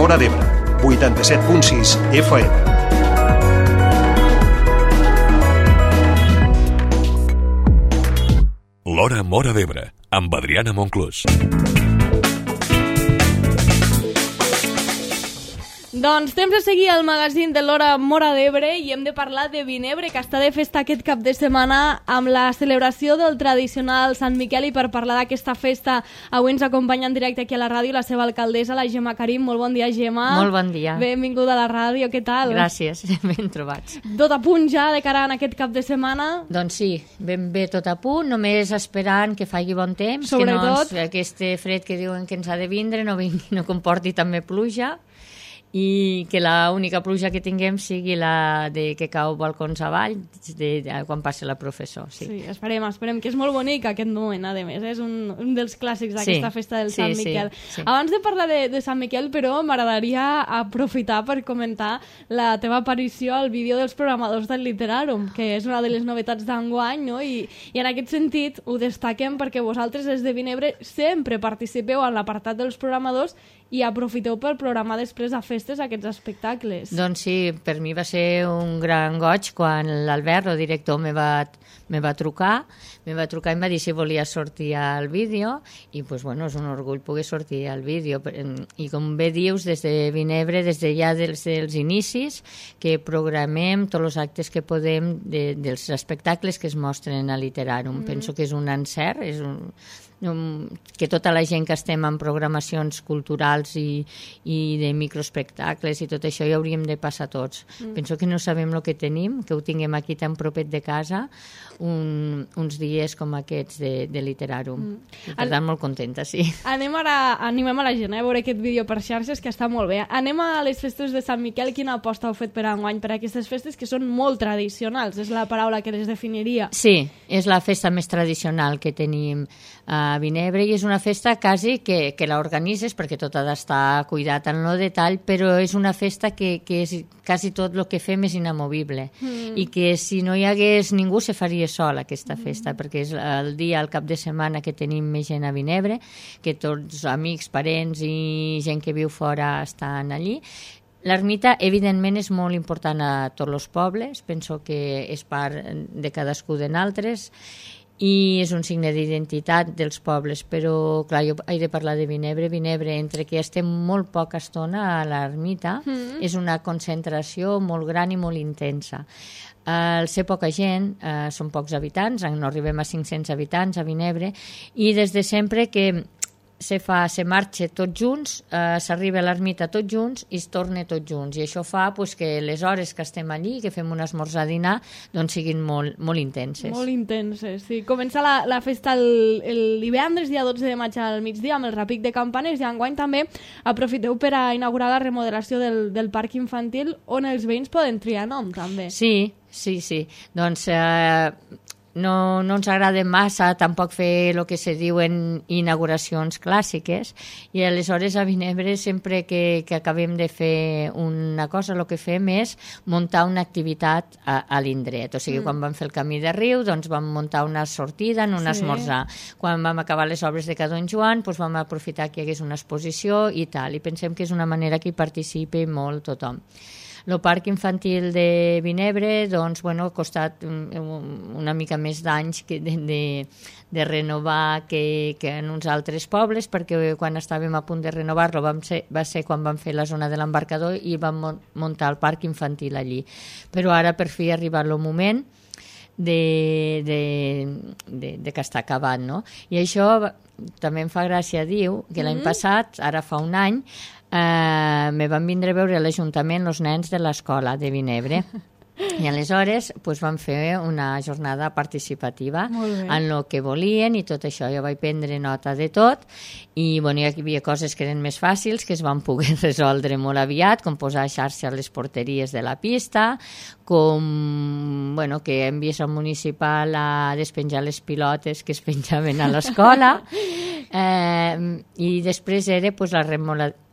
Móra d'Ebre, 87.6 FM. L'Hora Móra d'Ebre, amb Adriana Monclús. Doncs temps de seguir el magazín de l'Hora Móra d'Ebre i hem de parlar de Vinebre, que està de festa aquest cap de setmana amb la celebració del tradicional Sant Miquel, i per parlar d'aquesta festa avui ens acompanya en directe aquí a la ràdio la seva alcaldessa, la Gemma Karim. Molt bon dia, Gemma. Molt bon dia. Benvinguda a la ràdio, què tal? Gràcies, ben trobats. Tot a punt ja de cara a aquest cap de setmana? Doncs sí, ben bé tot a punt, només esperant que faci bon temps, sobretot que no aquest fred que diuen que ens ha de vindre no comporti també pluja, i que l'única pluja que tinguem sigui la de que cau balcons avall quan passi la professor. Sí, esperem que és molt bonic aquest moment, a més, és un dels clàssics d'aquesta festa del Sant Miquel. Sí. Abans de parlar de Sant Miquel, però, m'agradaria aprofitar per comentar la teva aparició al vídeo dels programadors del Literàrum, que és una de les novetats d'enguany, no? I en aquest sentit ho destaquem perquè vosaltres des de Vinebre sempre participeu en l'apartat dels programadors i aprofiteu per programar després a festes aquests espectacles. Doncs sí, per mi va ser un gran goig quan l'Albert, el director, me va trucar i em va dir si volia sortir al vídeo, i doncs, bueno, és un orgull poder sortir al vídeo. I com bé dius, des de Vinebre, des de ja dels inicis, que programem tots els actes que podem dels espectacles que es mostren a Literàrum. Penso que és un encert, que tota la gent que estem en programacions culturals i de microespectacles i tot això hi hauríem de passar tots. Penso que no sabem el que tenim, que ho tinguem aquí tan propet de casa, uns dies com aquests de Literàrum. Per tant, molt contenta, sí. Animem a la gent a veure aquest vídeo per xarxes, que està molt bé. Anem a les festes de Sant Miquel. Quina aposta heu fet per enguany per aquestes festes que són molt tradicionals? És la paraula que les definiria. Sí, és la festa més tradicional que tenim a Vinebre, i és una festa quasi que l'organitzes, perquè tot ha d'estar cuidat en el detall, però és una festa que és quasi tot el que fem és inamovible, i que si no hi hagués ningú se faria sol aquesta festa, perquè és el dia, el cap de setmana que tenim més gent a Vinebre, que tots amics, parents i gent que viu fora estan allí. L'ermita, evidentment, és molt important a tots els pobles, penso que és part de cadascú de nosaltres, i és un signe d'identitat dels pobles, però clar, jo he de parlar de Vinebre. Vinebre, entre que estem molt poca estona a l'ermita, és una concentració molt gran i molt intensa. Al ser poca gent, són pocs habitants, no arribem a 500 habitants a Vinebre, i des de sempre que se marxa tots junts, s'arriba a l'ermita tots junts i es torna tots junts, i això fa que les hores que estem allí, que fem un esmorzar dinar, doncs siguin molt intenses. Molt intenses, sí. Comença la festa el divendres, dia 12 de maig al migdia, amb el repic de campanes, i enguany també aprofiteu per a inaugurar la remodelació del parc infantil, on els veïns poden triar nom, també. Sí. Doncs no ens agrada massa tampoc fer el que se diuen inauguracions clàssiques, i aleshores a Vinebre sempre que acabem de fer una cosa, el que fem és muntar una activitat a l'indret. O sigui, quan vam fer el Camí de Riu, doncs vam muntar una sortida en un esmorzar. Quan vam acabar les obres de Ca Don Joan, doncs vam aprofitar que hi hagués una exposició i tal, i pensem que és una manera que hi participi molt tothom. El parc infantil de Vinebre, doncs, ha costat una mica més d'anys de renovar que en uns altres pobles, perquè quan estàvem a punt de renovar-lo va ser quan vam fer la zona de l'embarcador i vam muntar el parc infantil allí. Però ara, per fi, ha arribat el moment de que està acabat, no? I això també em fa gràcia dir que l'any passat, ara fa un any, me van vindre a veure a l'Ajuntament els nens de l'escola de Vinebre. I aleshores vam fer una jornada participativa en el que volien i tot això. Jo vaig prendre nota de tot, i hi havia coses que eren més fàcils, que es van poder resoldre molt aviat, com posar xarxa a les porteries de la pista, com que envies al municipal a despenjar les pilotes que es penjaven a l'escola, i després era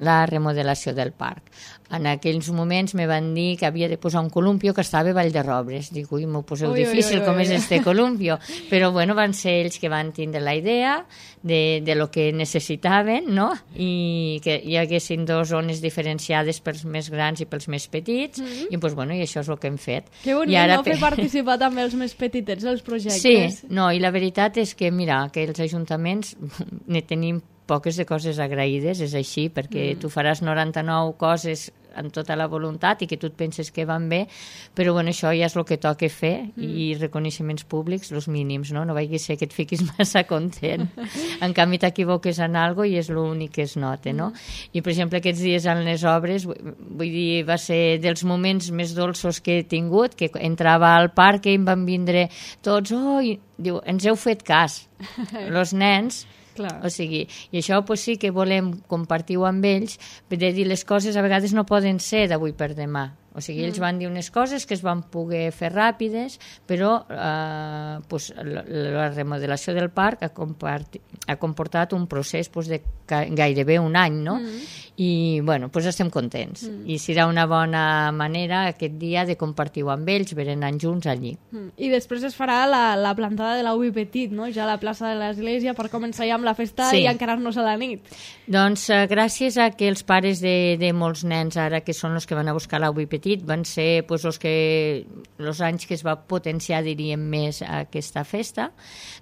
la remodelació del parc. En aquells moments me van dir que havia de posar un columpio que estava anava Vall de Robres. Dic, ui, m'ho poseu difícil, com és este columpio. Però, bueno, van ser ells que van tindre la idea de lo que necessitaven, no? I que hi haguessin dues zones diferenciades pels més grans i pels més petits, i, doncs, bueno, i això és el que hem fet. Que bonic, no? Fer participar també els més petitets dels projectes. Sí, no, i la veritat és que, mira, que els ajuntaments ne tenim poques de coses agraïdes, és així, perquè tu faràs 99 coses amb tota la voluntat i que tu et penses que van bé, però bueno, això ja és el que toca fer i reconeixements públics, els mínims, no? No vagi ser que et fiquis massa content. En canvi, t'equivoques en alguna cosa i és l'únic que es nota, no? I, per exemple, aquests dies en les obres, vull dir, va ser dels moments més dolços que he tingut, que entrava al parc i em van vindre tots, i diu, ens heu fet cas, els nens. Clar. O sigui, i això pues, sí que volem compartir-ho amb ells, de dir les coses a vegades no poden ser d'avui per demà. O sigui, ells van dir unes coses que es van poder fer ràpides, però pues, la remodelació del parc ha comportat un procés pues, de gairebé un any, no? I, bueno, pues estem contents. I serà una bona manera aquest dia de compartir-ho amb ells, berenant junts allí. I després es farà la plantada de l'Ubi Petit, no? Ja a la plaça de l'església, per començar ja amb la festa i encarar-nos a la nit. Doncs gràcies a que els pares de molts nens ara, que són els que van a buscar l'Ubi Petit, van ser pues, els anys que es va potenciar, diríem, més aquesta festa,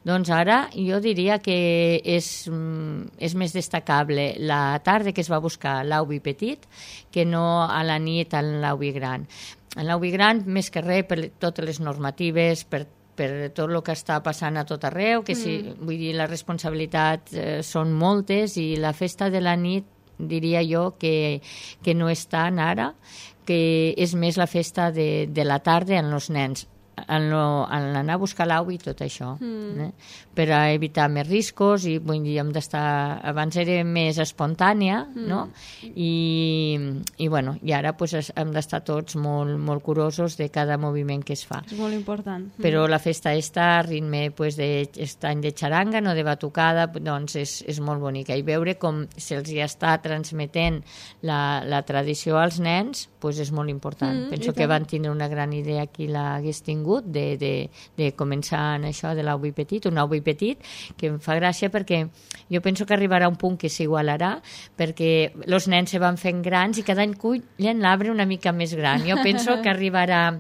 doncs ara jo diria que és més destacable la tarda que es va buscar l'Ubi Petit que no a la nit en l'Ubi Gran. En l'Ubi Gran, més que res, per totes les normatives, per tot el que està passant a tot arreu, que vull dir, la responsabilitat són moltes i la festa de la nit diria jo que no és tant ara, que és més la festa de la tarda en els nens, en l'anar a buscar l'au i tot això, per a evitar més riscos i vull dir, hem d'estar, abans era més espontània, no? I bueno, i ara pues, hem d'estar tots molt, molt curosos de cada moviment que es fa. És molt important. Però la festa està a ritme pues, d'estany de xaranga, no de batucada, doncs és molt bonica. I veure com se'ls ja està transmetent la tradició als nens, pues és molt important. Penso que van tindre una gran idea qui l'hagués tingut de començar en això de l'Ubi Petit, un Ubi Petit que em fa gràcia perquè jo penso que arribarà un punt que s'igualarà perquè els nens se van fent grans i cada any cullen l'arbre una mica més gran. Jo penso que arribarà,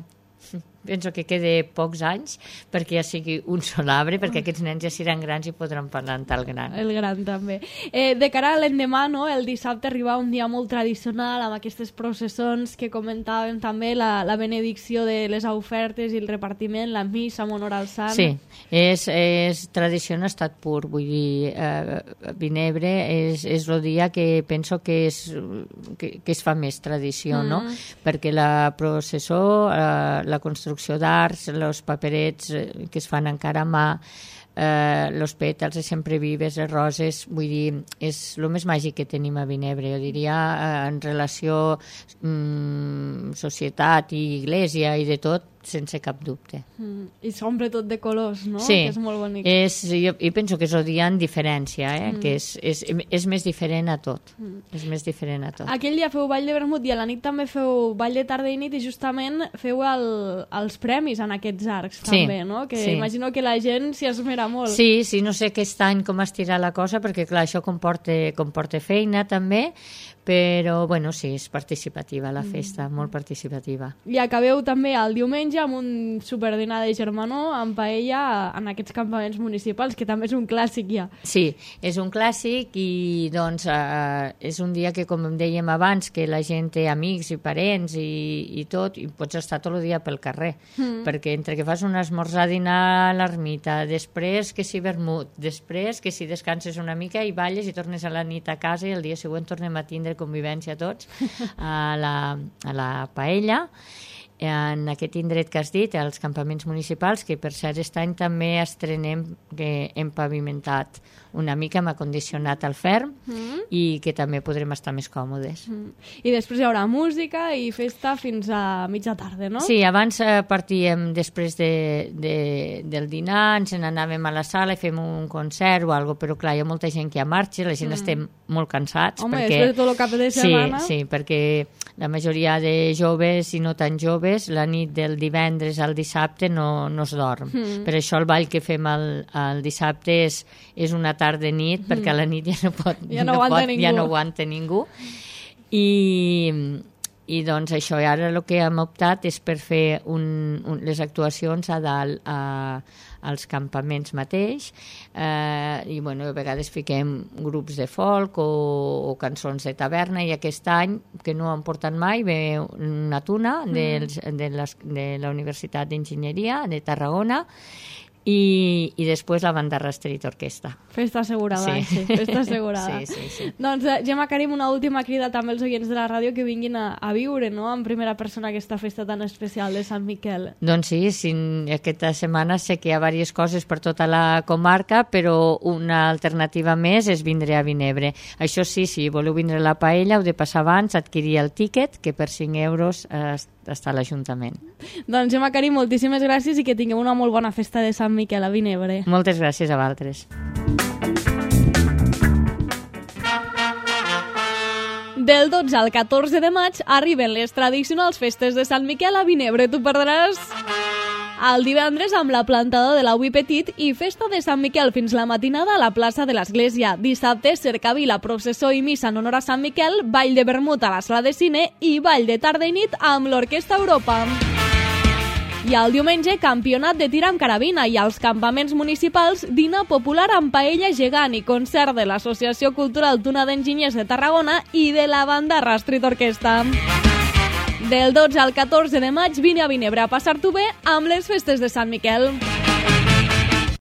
penso que quede pocs anys perquè ja sigui un sol arbre, perquè aquests nens ja seran grans i podran parlar en tal gran. El gran també. De cara a l'endemà, no? El dissabte arriba un dia molt tradicional amb aquestes processons que comentàvem també, la benedicció de les ofertes i el repartiment, la missa en honor al sant. Sí, és tradició en estat pur, vull dir, Vinebre és el dia que penso que es fa més tradició, no? Perquè la processó, la construcció d'arts, els paperets que es fan encara a mà, els pètals de sempre vives, les roses, vull dir, és el més màgic que tenim a Vinebre, jo diria, en relació societat i església i de tot, sense cap dubte. I s'omple tot de colors, no? Sí, que és molt bonic. Jo penso que és el dia en diferència, que és més diferent a tot. És més diferent a tot. Aquell dia feu ball de vermut i a la nit també feu ball de tarda i nit i justament feu els premis en aquests arcs, també, no? Que imagino que la gent s'hi esmera molt. Sí, no sé aquest any com estirà la cosa, perquè clar, això comporta feina també, però bueno, sí, és participativa la festa, molt participativa. I acabeu també el diumenge amb un superdinar de germanor amb paella en aquests campaments municipals, que també és un clàssic ja. Sí, és un clàssic i doncs és un dia que, com dèiem abans, que la gent té amics i parents i tot, i pots estar tot el dia pel carrer, perquè entre que fas un esmorzar, dinar a l'ermita, després que si vermut, després que si descanses una mica i balles i tornes a la nit a casa i el dia següent tornem a tindre convivència tots a la paella en aquest indret que has dit, als campaments municipals, que per cert aquest any també estrenem que hem pavimentat una mica, hem acondicionat el ferm i que també podrem estar més còmodes. I després hi haurà música i festa fins a mitja tarda, no? Sí, abans partíem després del dinar, ens n'anàvem a la sala i fem un concert o alguna cosa, però clar, hi ha molta gent que ja marxa, la gent estem molt cansats. Home, després de tot el cap de setmana... Sí, perquè la majoria de joves i no tan joves joves, la nit del divendres al dissabte no es dorm. Per això el ball que fem el dissabte és una tarda nit, perquè a la nit ja no aguanta ningú. I doncs això, i ara el que hem optat és per fer les actuacions a dalt als campaments mateix, i a vegades fiquem grups de folk o cançons de taverna, i aquest any, que no han portat mai, ve una tuna de la Universitat d'Enginyeria de Tarragona, i després la Bandarra Street Orquestra. Festa assegurada, sí, festa assegurada. Sí. Doncs, Gemma Karim, una última crida també als oients de la ràdio que vinguin a viure, no?, en primera persona aquesta festa tan especial de Sant Miquel. Doncs sí, aquesta setmana sé que hi ha diverses coses per tota la comarca, però una alternativa més és vindre a Vinebre. Això sí, si voleu vindre a la paella, heu de passar abans, adquirir el tíquet, que per 5 euros està a l'Ajuntament. Doncs, Gemma Karim, moltíssimes gràcies i que tingueu una molt bona festa de Sant Miquel a Vinebre. Moltes gràcies a vosaltres. Del 12 al 14 de maig arriben les tradicionals festes de Sant Miquel a Vinebre. Tu perdràs el divendres amb la plantada de l'Aui Petit i festa de Sant Miquel fins la matinada a la plaça de l'Església. Dissabte, cercavila, processó i missa en honor a Sant Miquel, ball de vermut a la sala de cine i ball de tarda i nit amb l'Orquestra Europa. I el diumenge, campionat de tir amb carabina, i als campaments municipals, dinar popular amb paella gegant i concert de l'Associació Cultural Tuna d'Enginyers de Tarragona i de la Bandarra Street Orquestra. Del 12 al 14 de maig vine a Vinebre a passar-t'ho bé amb les festes de Sant Miquel.